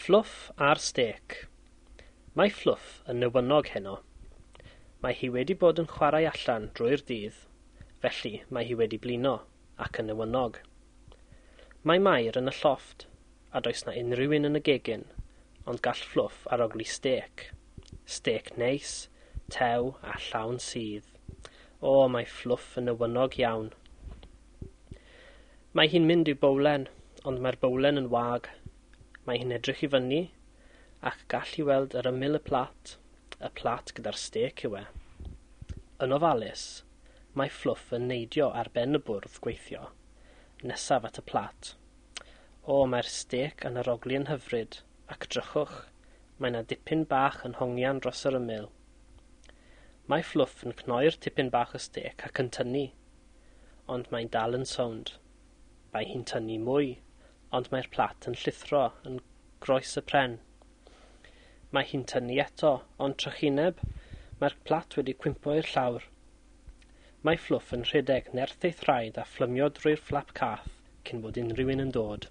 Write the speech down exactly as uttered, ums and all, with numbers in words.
Fflwff a'r stêc. Mae Fflwff yn newynog heno. Mae hi wedi bod yn chwarae allan drwy'r dydd, felly mae hi wedi blino ac yn newynog. Mae Mair yn y llofft, a does 'na unrhyw un yn y gegin, ond gall Fflwff arogli stêc. Stêc neis, tew a llawn sudd. O, mae Fflwff yn newynog iawn. Mae hi'n mynd i'w bowlen, ond mae'r bowlen yn wag. Mae hi'n edrych i fyny, ac gall hi weld yr ymyl y plat, y plat gyda'r stêc yw e. Yn ofalus, mae Fflwff yn neidio ar ben y bwrdd gweithio, nesaf at y plat. O, mae'r stêc yn arogli yn hyfryd, ac drychwch, mae 'na dipyn bach yn hongian dros yr ymyl. Mae Fflwff yn cnoi'r tipyn bach o stêc ac yn tynnu, ond mae'n dal yn sownd. Mae hi'n tynnu mwy, ond mae'r plat yn llithro yn groes y pren. Mae hi'n tynnu eto, ond trychineb, mae'r plat wedi cwympo i'r llawr. Mae Fflwff yn rhedeg nerth ei thraed a phlymio drwy'r fflap cath cyn bod unrhyw un yn dod.